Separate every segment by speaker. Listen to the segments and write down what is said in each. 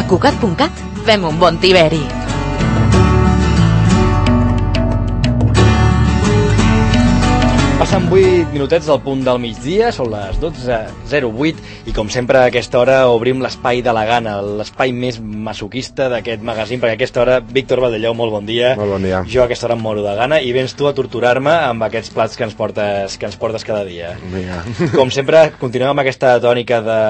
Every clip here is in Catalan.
Speaker 1: Cugat.cat fem un bon tiberi.
Speaker 2: Passen 8 minutets del punt del migdia, són les 12:08 i com sempre a aquesta hora obrim l'espai de la gana, l'espai més masoquista d'aquest magazín, perquè a aquesta hora, Víctor Valdellou, molt bon dia.
Speaker 3: Molt bon dia.
Speaker 2: Jo a aquesta hora em moro de gana i vens tu a torturar-me amb aquests plats que ens portes cada dia.
Speaker 3: Vinga.
Speaker 2: Com sempre, continuem amb aquesta tònica de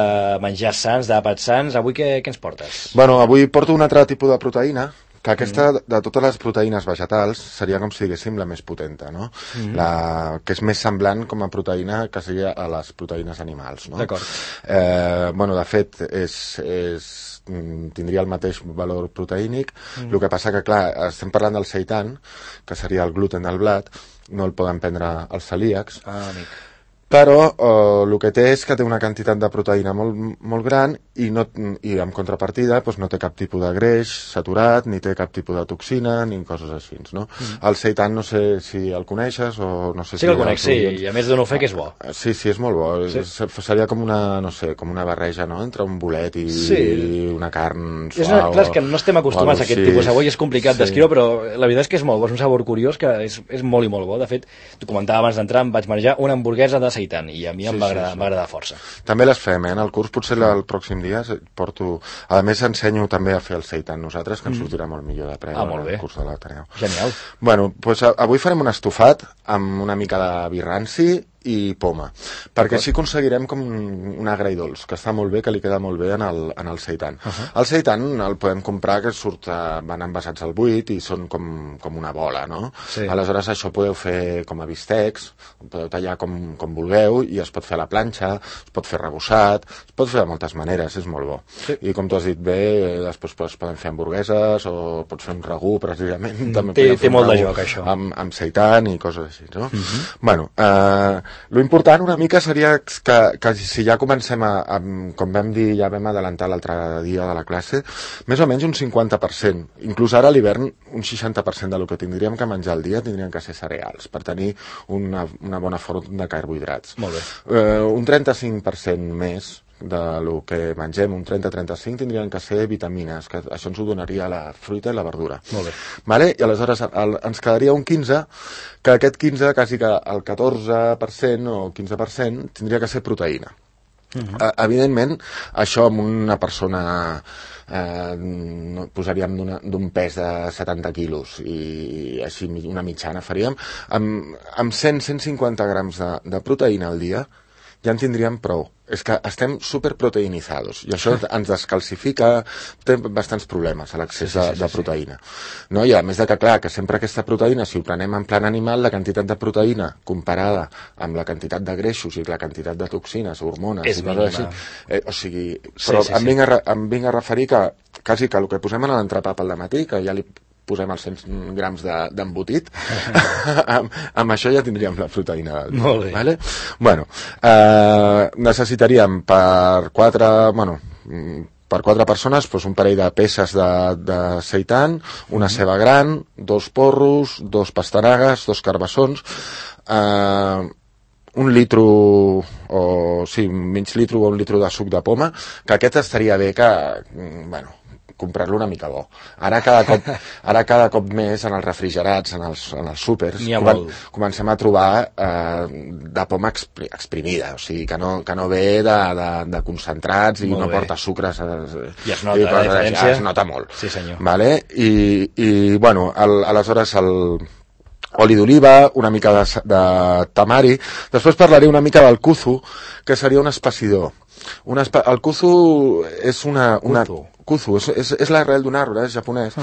Speaker 2: menjar sans, d'àpats sans. Avui què ens portes?
Speaker 3: Bueno, avui porto un altre tipus de proteïna, que aquesta, de totes les proteïnes vegetals, seria com si diguéssim la més potenta, no? La que és més semblant com a proteïna que seria a les proteïnes animals, no?
Speaker 2: D'acord.
Speaker 3: Bueno, de fet, tindria el mateix valor proteínic, el que passa que, clar, estem parlant del seitan, que seria el gluten del blat, no el poden prendre els celíacs,
Speaker 2: Amic.
Speaker 3: però el que té és que té una quantitat de proteïna molt gran i en contrapartida doncs, no té cap tipus de greix saturat, ni té cap tipus de toxina, ni coses així, no? El seitan no sé si el coneixes o no sé
Speaker 2: Sí que el conec, sí, i a més dono fe que és bo.
Speaker 3: Sí, és molt bo.
Speaker 2: Sí.
Speaker 3: Seria com una, no sé, com una barreja, no?, entre un bolet i una carn
Speaker 2: suau. Clar, és que no estem acostumats a aquest tipus de sabor i és complicat d'escriure, però la veritat és que és molt bo, és un sabor curiós que és molt i molt bo. De fet, t'ho comentava abans d'entrar, em vaig menjar una hamburguesa de seitan i a mi em va agradar força.
Speaker 3: També les fem, en el curs, potser el pròxim dia porto... A més, ensenyo també a fer el seitan nosaltres, que ens sortirà molt millor de preu
Speaker 2: molt bé.
Speaker 3: el curs de l'Ateneu.
Speaker 2: Genial.
Speaker 3: Bueno, doncs avui farem un estofat amb una mica de vi ranci i poma, perquè així aconseguirem com un agredolç, que està molt bé, que li queda molt bé en el seitan. El seitan el podem comprar, que van envasats al buit i són com una bola, no?
Speaker 2: Sí.
Speaker 3: Aleshores això podeu fer com a bistecs, podeu tallar com vulgueu i es pot fer a la planxa, es pot fer rebossat, es pot fer de moltes maneres, és molt bo.
Speaker 2: Sí.
Speaker 3: I com tu has dit bé, després es poden fer hamburgueses o pots fer un ragú, precisament.
Speaker 2: Té molt de joc, això.
Speaker 3: Amb seitan i coses així, no? Bueno, lo important una mica seria que si ja comencem com vam dir, ja vam adelantar l'altre dia de la classe, més o menys un 50%, inclús ara a l'hivern un 60% del que tindríem que menjar al dia tindrien que ser cereals, per tenir una bona font de carbohidrats.
Speaker 2: Molt bé.
Speaker 3: Un 35% més de lo que mengem, un 30-35, tindrien que ser vitamines, que això ens ho donaria la fruita i la verdura.
Speaker 2: Molt bé.
Speaker 3: Vale? I aleshores ens quedaria un 15, que aquest 15, quasi que el 14% o 15% tindria que ser proteïna. Evidentment, això amb una persona posaríem d'un pes de 70 quilos i així una mitjana faríem amb 100-150 grams de proteïna al dia ja en tindríem prou. És que estem superproteïnizados i això ens descalcifica, té bastants problemes a l'accés de proteïna. No? I a més de que, clar, que sempre aquesta proteïna, si ho prenem en plan animal, la quantitat de proteïna comparada amb la quantitat de greixos i la quantitat de toxines, hormones
Speaker 2: és
Speaker 3: i coses així, o sigui, però em vinc a referir que quasi que el que posem en l'entrepà pel dematí, que ja li posem els 100 grams d'embotit, amb això ja tindríem la proteïna del dia.
Speaker 2: Molt bé.
Speaker 3: Vale? Bueno, necessitaríem per quatre persones un parell de peces de seitan, una ceba gran, 2 porros, 2 pastanagues, 2 carbassons, un litro mig litro o un litro de suc de poma, que aquest estaria bé que, comprar-lo una mica bo. Ara cada cop més en els refrigerats, en els súpers, comencem a trobar de poma exprimida, o sigui, que no ve de concentrats i no porta sucres.
Speaker 2: I es nota la diferència.
Speaker 3: Es nota molt.
Speaker 2: Sí, senyor.
Speaker 3: Vale? I bueno, aleshores oli d'oliva, una mica de tamari. Després parlaré una mica del kuzu, que seria un espessidor. El kuzu és kuzu, és l'arrel d'un arbre, és japonès,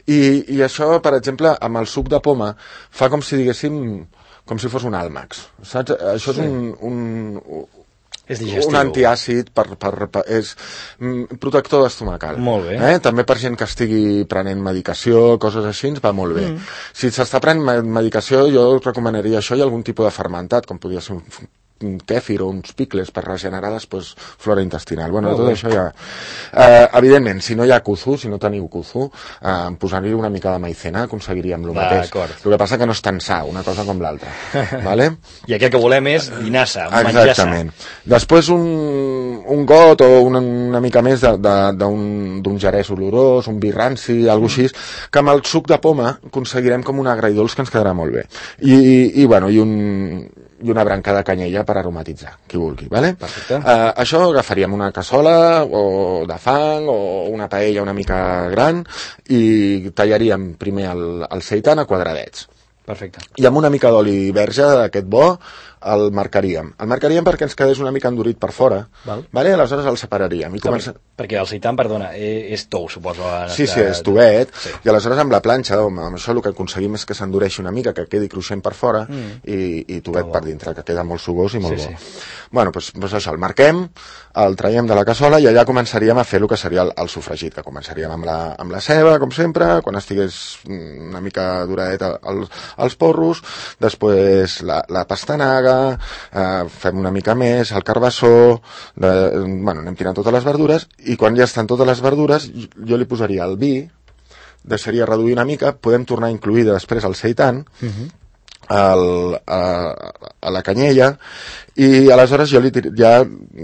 Speaker 3: i això, per exemple, amb el suc de poma, fa com si diguéssim, com si fos un àlmax, saps? Això és un antiàcid, és protector estomacal.
Speaker 2: Molt bé.
Speaker 3: També per gent que estigui prenent medicació, coses així, va molt bé. Si s'està prenent medicació, jo recomanaria això i algun tipus de fermentat, com podria ser kèfir o uns picles per regenerar després flora intestinal. Bueno, tot això ja... evidentment, si no hi ha kuzu, si no teniu kuzu, posar-hi una mica de maicena aconseguiríem el mateix. El que passa que no és tan sa, una cosa com l'altra. Vale?
Speaker 2: I aquí el que volem és dinassa, menjar sa.
Speaker 3: Exactament. Després un got o una mica més d'un gerès olorós, un vi ranci, alguna cosa així, que amb el suc de poma aconseguirem com un agridolç que ens quedarà molt bé. I una branca de canyella per aromatitzar, qui vulgui, vale?
Speaker 2: Perfecte.
Speaker 3: Això agafaríem una cassola o de fang o una paella una mica gran i tallaríem primer el seitan a quadradets.
Speaker 2: Perfecte.
Speaker 3: I amb una mica d'oli verge d'aquest bo el marcaríem. El marcaríem perquè ens quedés una mica endurit per fora. Vale? Aleshores el separaríem.
Speaker 2: Perquè el seitan, perdona, és tou, suposo.
Speaker 3: Sí, és tovet. Sí. I aleshores amb la planxa, amb això el que aconseguim és que s'endureixi una mica, que quedi cruixent per fora i tovet per dintre, que queda molt sugós i molt bo. Bueno, doncs això, el marquem, el traiem de la cassola i allà començaríem a fer el que seria el sofregit, que començaríem amb la ceba, com sempre, quan estigués una mica duradeta els porros, després la pastanaga, fem una mica més, el carbassó, anem tirant totes les verdures i quan ja estan totes les verdures jo li posaria el vi, deixaria reduir una mica, podem tornar a incluir després el seitan, a la canyella i aleshores jo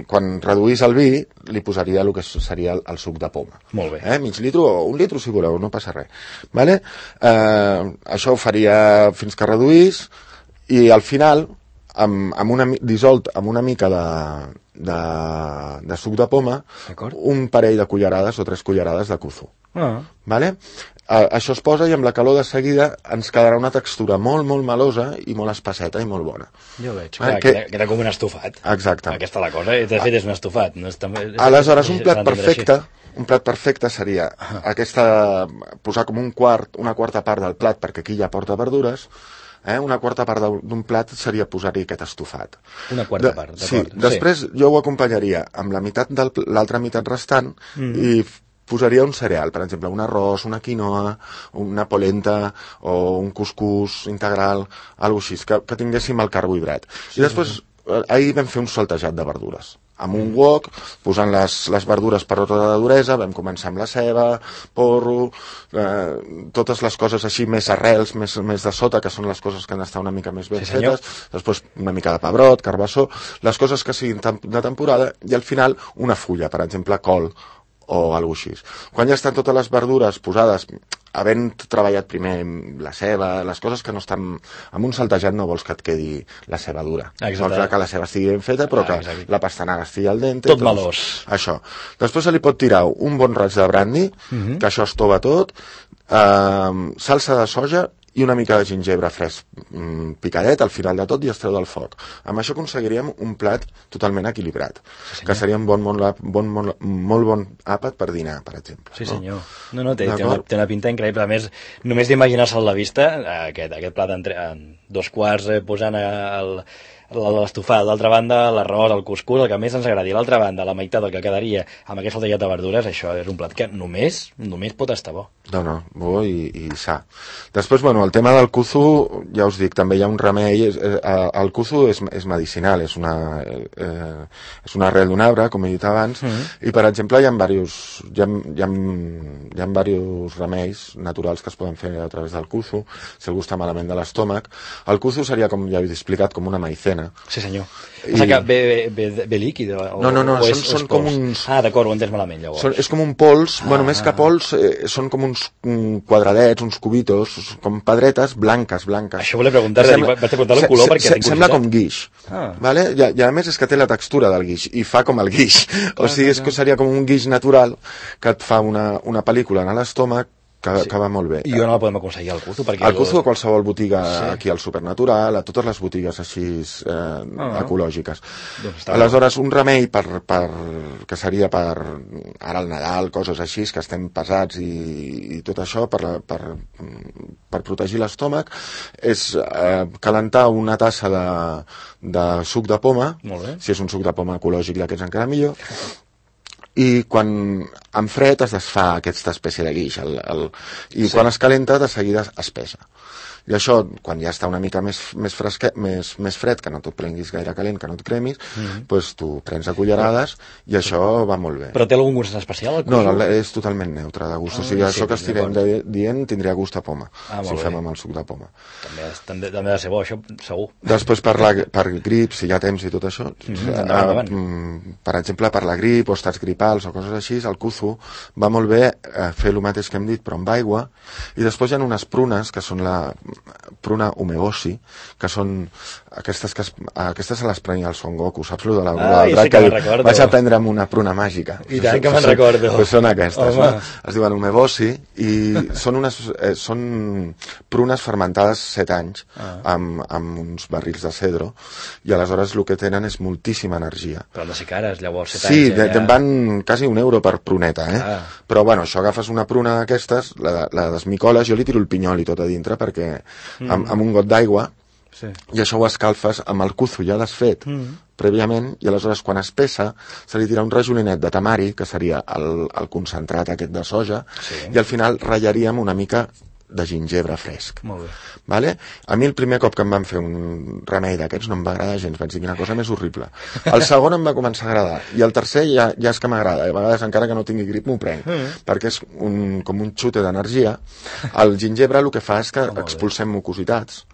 Speaker 3: quan reduís el vi li posaria el que seria el suc de poma.
Speaker 2: Molt bé.
Speaker 3: Mig litro o un litro si voleu, no passa res. Vale? Això ho faria fins que reduís i al final dissolt amb una mica de suc de poma, un parell de cullerades o 3 cullerades de kuzu. Vale? Això es posa i amb la calor de seguida ens quedarà una textura molt, molt melosa i molt espesseta i molt bona.
Speaker 2: Jo veig, queda com un estofat.
Speaker 3: Exacte.
Speaker 2: Aquesta la cosa, de fet és un estofat.
Speaker 3: Aleshores, un plat perfecte seria posar com una quarta part del plat, perquè aquí ja porta verdures. Una quarta part d'un plat seria posar-hi aquest estofat.
Speaker 2: Una quarta part, d'acord.
Speaker 3: Sí, després jo ho acompanyaria amb l'altra meitat restant i posaria un cereal, per exemple, un arròs, una quinoa, una polenta o un cuscús integral, alguna cosa així, que tinguéssim el carbohidrat. I després, ahir vam fer un saltejat de verdures. Amb un wok, posant les verdures per ordre de duresa, vam començar amb la ceba, porro, totes les coses així més arrels, més de sota, que són les coses que han d'estar una mica més ben fetes, després una mica de pebrot, carbassó, les coses que siguin de temporada, i al final una fulla, per exemple, col o alguna cosa així. Quan ja estan totes les verdures posades, havent treballat primer la ceba, les coses que no estan... Amb un saltejat no vols que et quedi la ceba dura. Vols que la ceba estigui ben feta, però que la pastanaga estigui al dente.
Speaker 2: Tot melós.
Speaker 3: Això. Després se li pot tirar un bon raig de brandy, que això es tova tot, salsa de soja i una mica de gingebre fresc picadet al final de tot i es treu del foc. Amb això aconseguiríem un plat totalment equilibrat, que seria un molt bon àpat per dinar, per exemple.
Speaker 2: Sí, senyor. No, té una pinta increïble. A més, només d'imaginar-se a la vista, aquest plat en 2 quarts posant l'estofat, d'altra banda l'arròs, el cuscús, el que més ens agradi, l'altra banda la meitat del que quedaria amb aquest saltellat de verdures, això és un plat que només pot estar bo.
Speaker 3: No, bo i sa. Després, el tema del kuzu, ja us dic, també hi ha un remei, el kuzu és medicinal, és una arrel d'un arbre, com he dit abans, i per exemple hi ha diversos remeis naturals que es poden fer a través del kuzu, si algú està malament de l'estómac. El kuzu seria, com ja he explicat, com una maicena.
Speaker 2: Sí, senyor. Passa que ve líquid?
Speaker 3: No, són com uns...
Speaker 2: Ah, d'acord, ho he entès malament, llavors.
Speaker 3: És com un pols, més que pols, són com uns quadradets, uns cubitos, com pedretes blanques.
Speaker 2: Això volia preguntar-te, vaig preguntar el color perquè tinc curiositat.
Speaker 3: Sembla com guix, vale? I a més és que té la textura del guix, i fa com el guix. O sigui, és que seria com un guix natural que et fa una pel·lícula en l'estómac que va molt bé.
Speaker 2: I on el podem aconseguir, el kuzu?
Speaker 3: El kuzu a qualsevol botiga aquí al Supernatural, a totes les botigues així ecològiques. Aleshores, un remei que seria per ara al Nadal, coses així, que estem pesats i tot això, per protegir l'estómac, és calentar una tassa de suc de poma, si és un suc de poma ecològic, ja que és encara millor, i quan en fred es desfà aquesta espècie de guix, i quan es calenta de seguida es pesa. I això, quan ja està una mica més fred, que no t'ho prenguis gaire calent, que no et cremis, doncs tu prens a cullerades i això va molt bé.
Speaker 2: Però té algun gust especial?
Speaker 3: No, és totalment neutre de gust. O sigui, això que estirem dient tindria gust a poma, si ho fem amb el suc de poma.
Speaker 2: També ha de ser bo, això, segur.
Speaker 3: Després, per grip, si hi ha temps i tot això, per exemple, per la grip o estats gripals o coses així, el kuzu va molt bé fer el mateix que hem dit, però amb aigua, i després hi ha unes prunes, que són la pruna umeboshi, que són aquestes se les prenia el Son Goku, saps lo de la
Speaker 2: drac que diu,
Speaker 3: vaig aprendre amb una pruna màgica.
Speaker 2: I tant que me'n recordo.
Speaker 3: Pues són aquestes, no? Es diuen umeboshi i són prunes fermentades 7 anys amb uns barrils de cedro, i aleshores el que tenen és moltíssima energia.
Speaker 2: Però han de ser cares, llavors, 7
Speaker 3: anys.
Speaker 2: Sí,
Speaker 3: te'n van quasi €1 per pruneta, Però bueno, això agafes una pruna d'aquestes, la desmicoles, jo li tiro el pinyol i tot a dintre perquè amb un got d'aigua, i això ho escalfes amb el kuzu ja desfet prèviament, i aleshores quan es pesa se li tira un rajolinet de tamari, que seria el concentrat aquest de soja, i al final ratllaríem una mica de gingebre fresc.
Speaker 2: Molt bé.
Speaker 3: Vale? A mi el primer cop que em van fer un remei d'aquests no em va agradar gens, vaig dir quina cosa més horrible. El segon em va començar a agradar, i el tercer ja és que m'agrada, a vegades encara que no tingui grip m'ho prenc, perquè és com un xute d'energia. El gingebre el que fa és que expulsem mucositats.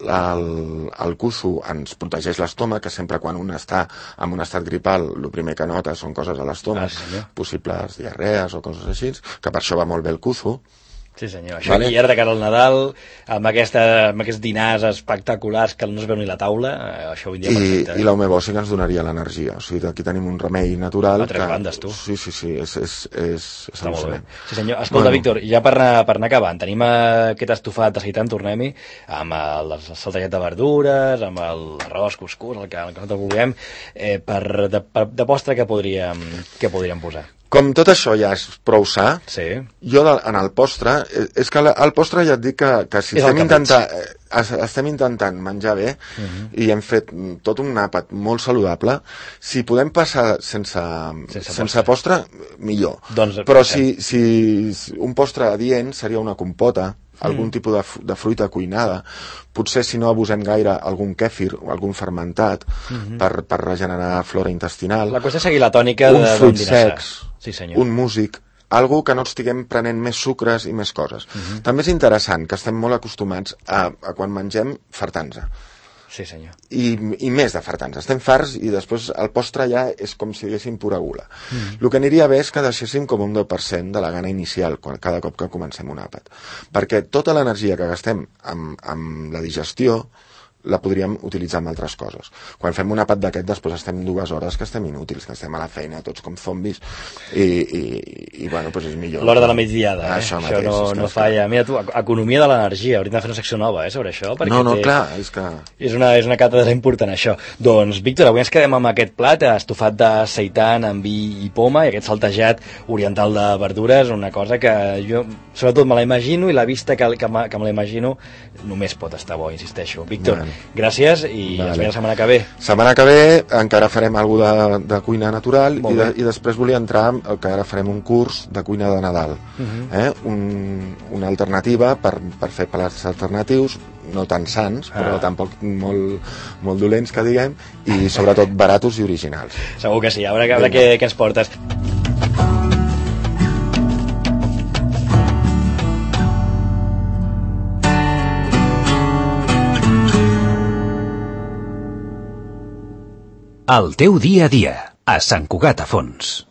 Speaker 3: El kuzu ens protegeix l'estómac, que sempre quan un està en un estat gripal el primer que nota són coses a l'estómac, possibles diarrees o coses així, que per això va molt bé el kuzu.
Speaker 2: Sí senyor, això vale. I ara de cara al Nadal, amb aquests dinars espectaculars que no es veu ni la taula, això ho vindria perfecte.
Speaker 3: I l'umeboshi que ens donaria l'energia, o sigui, aquí tenim un remei natural.
Speaker 2: A tres bandes, tu.
Speaker 3: Sí, és
Speaker 2: al·lucinant. Sí senyor, escolta, Víctor, ja per anar acabant, tenim aquest estofat de seitan, tornem-hi, amb el saltejat de verdures, amb l'arròs, cuscús, el que nosaltres vulguem, de postre què podríem posar?
Speaker 3: Com tot això ja és prou sa, jo en el postre, és que el postre ja et dic que si estem intentant menjar bé i hem fet tot un àpat molt saludable, si podem passar sense postre, millor. Però si un postre adient seria una compota, algun tipus de fruita cuinada, potser si no abusem gaire algun kèfir o algun fermentat per regenerar flora intestinal.
Speaker 2: La qüestió és seguir la tònica
Speaker 3: uns fruits secs,
Speaker 2: sí, senyor.
Speaker 3: un músic, algú que no estiguem prenent més sucres i més coses. També és interessant que estem molt acostumats a quan mengem fartar-nos.
Speaker 2: Sí, senyor.
Speaker 3: I més de fartar-nos. Estem farts i després el postre ja és com si diguéssim pura gula. El que aniria bé és que deixéssim com un 10% de la gana inicial cada cop que comencem un àpat. Perquè tota l'energia que gastem amb la digestió la podríem utilitzar en altres coses. Quan fem un àpat d'aquest, després estem 2 hores que estem inútils, que estem a la feina tots com zombis i bueno, doncs és millor.
Speaker 2: L'hora de la migdiada,
Speaker 3: Això
Speaker 2: no falla. Mira tu, economia de l'energia, hauríem de fer una secció nova sobre això, perquè
Speaker 3: clar, és que...
Speaker 2: És una càtedra important, això. Doncs, Víctor, avui ens quedem amb aquest plat, estofat de seitan amb vi i poma, i aquest saltejat oriental de verdures, una cosa que jo, sobretot, me la imagino, i la vista que me la imagino només pot estar bo, insisteixo. Víctor, gràcies i ens veiem la setmana que ve.
Speaker 3: Setmana que ve encara farem alguna de cuina natural i després volia entrar que ara farem un curs de cuina de Nadal. Una alternativa per fer plats alternatius, no tan sans, però tampoc molt dolents, que diguem, i sobretot baratos i originals.
Speaker 2: Segur que sí, a veure què ens portes.
Speaker 4: El teu dia a dia, a Sant Cugat a Fons.